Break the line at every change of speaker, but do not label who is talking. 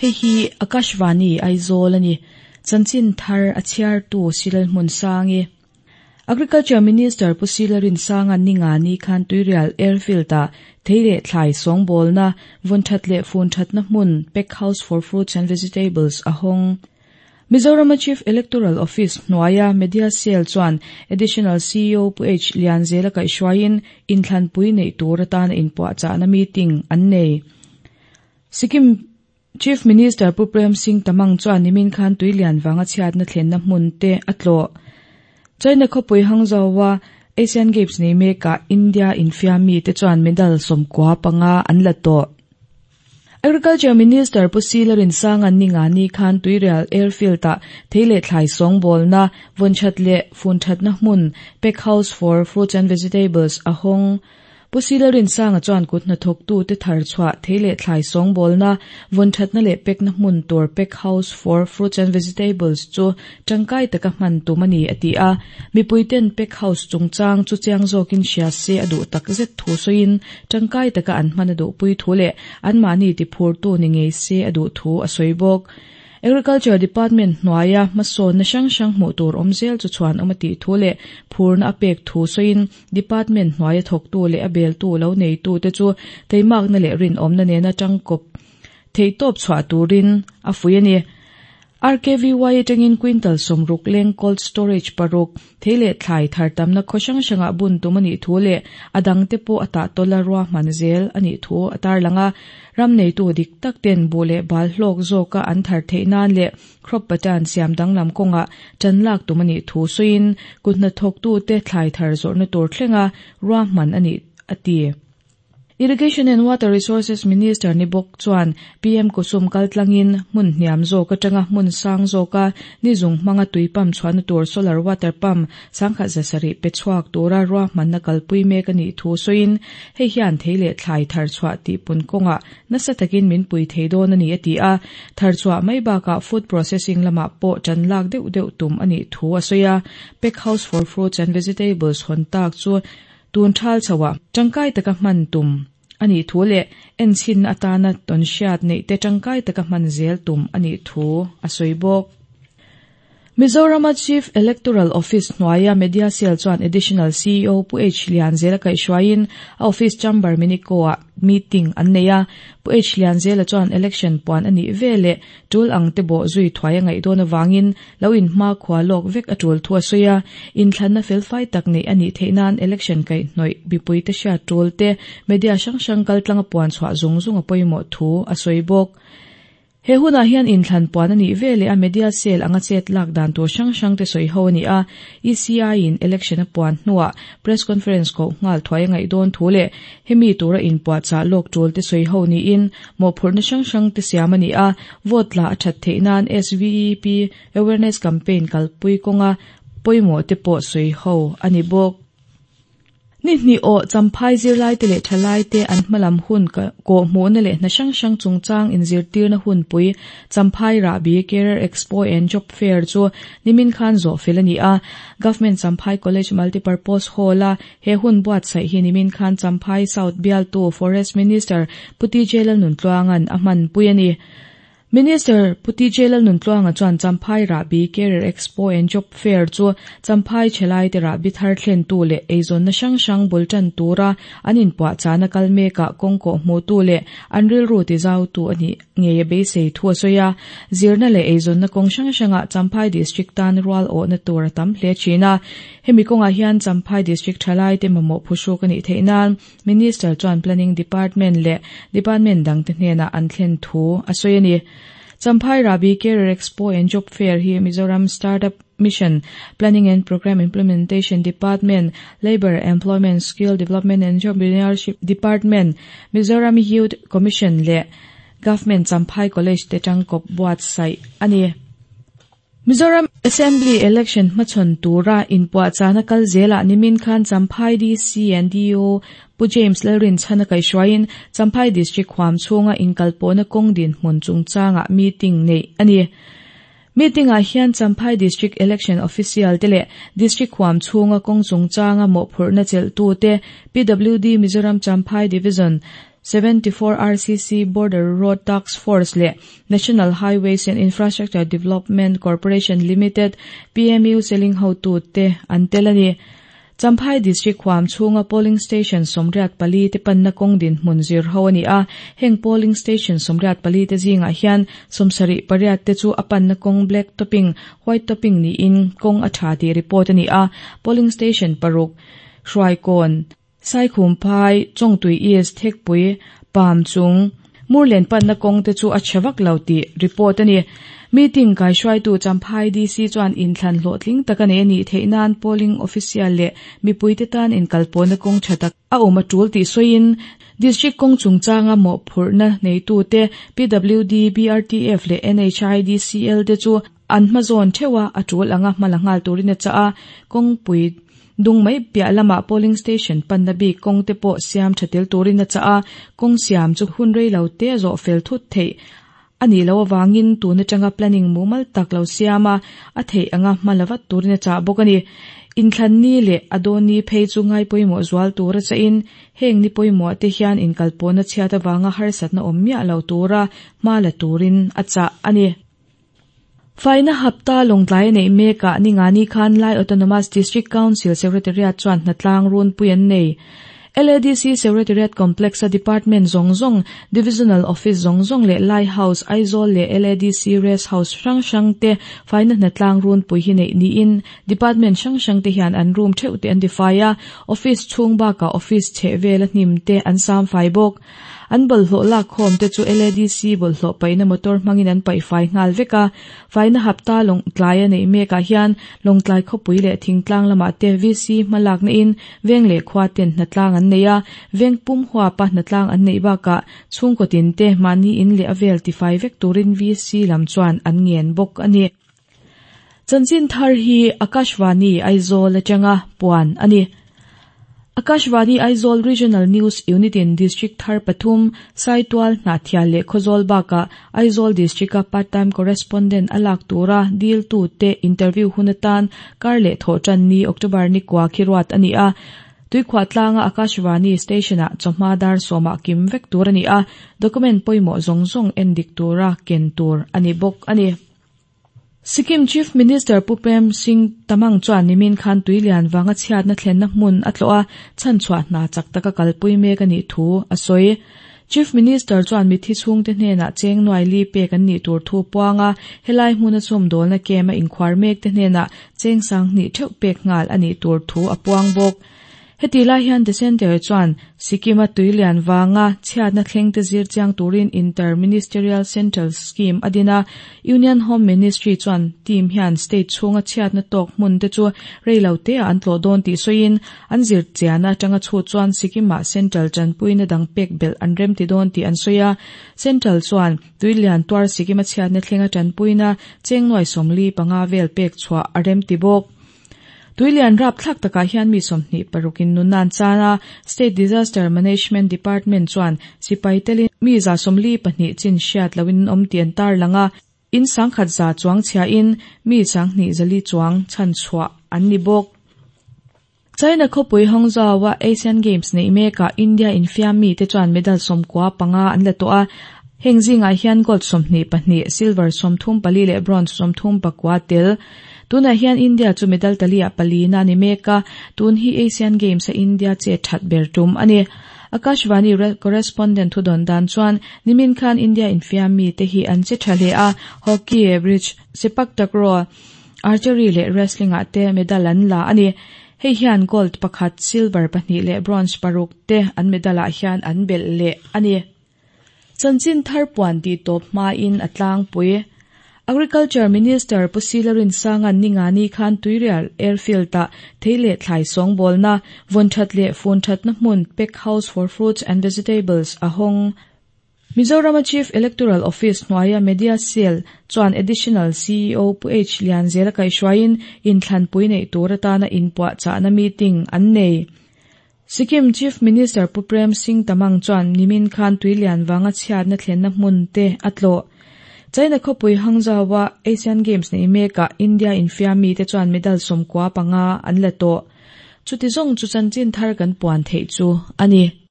Hei hi Akashvani Aizawl a ni. Chanchin thar a chhiartu Silal Hmunsangi. Agriculture Minister Pu Sila Rinsanga'n Ningani khan Tuirial Airfield-ah thei leh thlai sawngbawlna, vun that leh fun thatna hmun, Pack House for Fruits and Vegetables, a hawng. Mizorama Chief Electoral Office hnuaia Media Cell chuan Additional ceo Pu H Lianzela kaihhruaiin inthlanpui neih tur atana inpuahchahna meeting an nei. Sikkim Chief Minister Pu Prem Singh Tamang chuan nimin khan tuilian vanga chhiatna thlenna hmun te a tlawh. China khawpui Hangzhou-a Asian Games nei mekah India infiam mite chuan medal 95 an la tawh. Agriculture Minister Pu Sila Rinsanga'n Ningani khan Tuirial Airfield-ah thei leh thlai sawngbawlna, vawnthat leh funthatna hmun, Pack House for Fruits and Vegetables, a hawng. Pu Sila Rinsanga chuan kut hnathawktute thar chhuah thei leh thlai sawngbawlna, vawnthatna leh pekna hmun tur Pack House for Fruits and Vegetables chu tangkai taka hman tum a ni a ti a. Mipuiten Pack House chungchang chu chiang zawkin hria se a duh takzet thu sawiin tangkai taka an hman a duhpui thu leh anmahni tiphurtu ni ngei se a duh thu a sawi bawk. Agriculture Department hnuaia hmasawnna hrang hrang hmuh tur awm zel chu chhuan awm a tih thu leh phurna a pek thu sawiin Department hnuaia thawktu leh a beltu lo neitute chu teimakna leh rinawmna nena tangkawp theihtawp chhuah turin a fuih a ni. RKVY atangin quintal 60 leng cold storage paruk, thei leh thlai thar tamna khaw hrang hrangah bun tum a nih thu leh a dangte pawh a tahtawla ruahman zel a nih thu a tarlang a. Ram neitu dik tak ten buh leh bal hlawk zawka an thar theih nan leh crop pattern siam danglam kawngah tan lak tum a nih thu sawiin kut hnathawktute thlai thar zawrhna tur thlenga ruahman a ni a ti. Irrigation and Water Resources Minister ni bawk chuan PM Kusum kaltlangin hmun hniam zawk atanga hmun sang zawka ni zung hmanga tui pump chhuahna tur solar water pump 1700 pe chhuak tura ruahmanna kalpui mek a nih thu sawiin hei hian thei leh thlai thar chhuah tihpun kawngah nasa takin min pui thei dawn a ni a ti a, thar chhuah mai bakah food processing lamah pawh tan lak deuh deuh tum a nih thu a sawi a, Pack House for Fruits and Vegetables hawn tak chu Tun thal chhoah tangkai taka hman tum a nih thu leh enchhinna atana tawnhriat neihte tangkai taka hman zel tum a nih thu a sawi bawk. Mizorama Chief Electoral Office hnuaia Media Cell chuan Additional ceo Pu H Lianzela kaihhruaiin a office chamber Minico-ah meeting an nei a. Pu H Lianzela chuan election puan a nih veleh tul ang te bawh zui thuai a ngaih dawn avangin Lo inhmakhua lawk vek a tul thu a sawi a, inthlanna felfai tak neih a nih theih nan election kaihhnawih mipuite hriat tul te, media hrang hrang kaltlanga puan chhuah zung zung a pawimawh thu a sawi bawk. He hunah hian inthlan puan a nih veleh a media cell anga chet lak dan tur hrang hrang te sawi ho a ni a, ECI in election a puan hnuah press conference koh nghal thuai a ngaih dawn thu leh hemi tura inpuahchah lawk tul te sawi ho niin mawhphurhna hrang hrang te siam a ni a, vote la a that theih nan SVEP awareness campaign kalpui kawnga pawimawh te pawh sawi ho a ni bawk. Ni hnih awh Champhai zirlaite leh thalaite an hmalam hun kawhhmuhna leh hna hrang hrang chungchang inzirtirna hunpui Champhai Rahbi Career Expo and Job Fair chu nimin khan zawh fel a ni a. Government Champhai College Multipurpose Hall-a he hun buatsaih hi nimin khan Champhai South bialtu Forest Minister Pu TJ Lalnuntluanga'n a hmanpui a ni. Minister Pu TJ Lalnuntluanga chuan Champhai Rahbi Career Expo and Job Fair chu Champhai Thelaite rahbi thar thlentu leh eizawnna hrang hrang bul tan tura an inpuahchahna kal mekah kawng kawh hmuhtu leh an rilru tizautu a nih ngei a beisei thu a sawi a. Zirna leh eizawnna kawng hrang hrangah Champhai District tan rual awhna tur a tam hle thin a. Hemi kawngah hian Champhai District thalaite mamawh phuhruk a nih theih nan Minister chuan Planning Department leh Department dangte hnenah an thlen thu a sawi a ni. Champhai Rahbi Career Expo and Job Fair hi Mizoram Startup Mission, Planning and Programme Implementation Department, Labour, Employment, Skill Development and Entrepreneurship Department, Mizoram Youth Commission leh Government Champhai College te tangkawp buatsaih a ni. Mizoram Assembly Election hmachhawn tura inpuahchahna kal zelah nimin khan Champhai DC and DO Pu James Lalrinchhana kaihhruaiin Champhai District huam chhunga inkalpawhna kawng dinhmun chungchangah meeting neih a ni. Meeting-ah hian Champhai District Election Official te leh District huam chhunga kawng chungchanga mawhphurhna chelhtute, PWD Mizoram Champhai Division, 74 RCC Border Road Task Force leh National Highways and Infrastructure Development Corporation Limited, PMU Seling hotute an tel a ni. Champhai District huam chhunga Polling Station 84 te panna kawng dinhmun zir ho a ni a, heng Polling Station 84 te zingah hian 78 te chu a panna kawng black topping, white topping niin kawng a tha tih report a ni a, Polling Station paruk, Hruaikawn, Saikhumphai, Chawngtui East, Thekpui, Pam chung, Murlen panna kawng te chu a chhe vak lo tih report a ni. Meeting kaihruaitu Champhai DC chuan inthlan hlawhtling taka nei a nih theih nan polling official leh mipuite tan inkalpawhna kawng tha tak a awm a tul tih sawiin District kawng chungchanga mawhphurhna neitute PWD, BRTF leh NHIDCL te chu an hmazawn theuh a, a tul anga hma la nghal turin a chah a, kawngpui Dung mai piah lamah polling station panna bik kawng te pawh siam tha tel turin a chah a, kawng siam chu hun rei lo te zawh fel thut theih a nih loh avangin tun atanga planning mumal tak lo siam a, a theih anga hma la vat turin a chah bawk a ni. Inthlan ni leh a dawn ni phei chu ngai pawimawh zual tur a chahin heng ni pawimawh te hian inkalpawhna chhiat avanga harsatna awm miah lo tura hma la turin a chah a ni. Faina hapta Lawngtlai a neih mekah Ningani khan Lai Autonomous District Council Secretariat chuan hnatlang runpui an nei. LADC Secretariat Complex-a Department zawng zawng, Divisional Office zawng zawng leh Lai House, Aizawl leh LADC Rest House hrang hrang te faina hnatlang runpui hi neih niin Department hrang hrang te hian an room theuh te an tifai a, Office chhung bakah Office chheh vela hnim te an sam fai bawk. An bawlhhlawh lak khawm te chu LADC bawlhhlawh paihna motor hmangin an paih fai nghal vek a. Faina hapta Lawngtlai a neih mekah hian Lawngtlai khawpui leh thingtlang lamah te VC hma lakna in veng leh khua ten hnatlang an nei a, veng pum huapa hnatlang an neih bakah chhungkaw tin te mahni in leh a vel tifai vek turin VC lam chuan an ngen bawk a ni. Chanchin thar hi Akashvani Aizawl atanga puan a ni. Akashvani Aizawl Regional News Unit in District thar pathum, Saitual, Hnahthial leh Khawzawl bakah Aizawl District-a Part-time Correspondent a lak tura dil tute interview hun atan kar leh thawhtan ni October ni kua khi ruat a ni a. Tuikhuah tlanga Akashvani Station-ah chawhma dar sawmah kim vek tur a ni a, document pawimawh zawng zawng endik tura ken tur a ni bawk a ni. Sikkim Chief Minister Pu Prem Singh Tamang chuan nimin khan tui lian vanga chhiatna thlenna hmun a tlawh a, chhanchhuah hna chak taka kalpui mek a nih thu a sawi. Chief Minister chuan mithi chhungte hnenah cheng nuai li pek an nih tur thu puang a, helai hmuna chhawmdawlna camp a inkhuar mekte hnenah cheng sanghnih theuh pek nghal a nih tur thu a puang bawk. Heti lai hian The Centre chuan Sikkim-a tuilian vanga chhiatna thlengte zir chiang turin Inter-Ministerial Central Scheme a din a, Union Home Ministry chuan team hian state chhunga chhiatna tawk hmun te chu rei lo teah an tlawh dawn tih sawiin an zir chiahna atanga chhut chuan Sikkim-ah Central tanpuina dang pek belh an remti dawn tih an sawi a. Central chuan tuilian tuar Sikkim-a chhiatna thlenga tanpuina cheng nuai 45 vel pek chhuah a remti bawk. Tuilian rapthlak takah hian mi 26 in nunna an chan a, State Disaster Management Department chuan sipai telin mi 42 chin hriat loin an awm tih an tarlang a, in 100,000 chuang chhiahin mi 2400 chuang chhanchhuah an ni bawk. China khawpui Hangzhou-a Asian Games neih mekah India infiam mite chuan medal 95 an la tawh a, heng zingah hian gold 22, silver 34 leh bronze 39 tel. Tunah hian India chu medal taliah palina a ni mek a, tun hi Asian Games-a India chet that ber tum a ni. Akashvani correspondent thudawn dan chuan nimin khan India infiam mite hi an che tha hle a, hockey, bridge, sepak takraw, archery leh wrestling-ah te medal an la a ni. Hei hian gold pakhat, silver pahnih leh bronze paruk te an medal-ah hian an belh leh a ni. Chanchin thar puan tih tawp hmain a tlangpui. Agriculture Minister Pu Sila Rinsanga'n Ningani khan Tuirial Airfield-ah thei leh thlai sawngbawlna, vawn that leh fun thatna hmun Pack House for Fruits and Vegetables a hawng. Mizorama Chief Electoral Office hnuaia Media Cell chuan Additional CEO Pu H Lianzela kaihhruaiin inthlanpui neih tur atana inpuahchahna meeting an nei. Sikkim Chief Minister Pu Prem Singh Tamang chuan nimin khan tuilian vanga chhiatna thlenna hmun te a tlawh. China khawpui Hangzhou-a Asian Games neih mekah India infiam mite chuan medal 95 an la tawh. Chuti zawng chu chanchin thar kan puan theih chu a ni.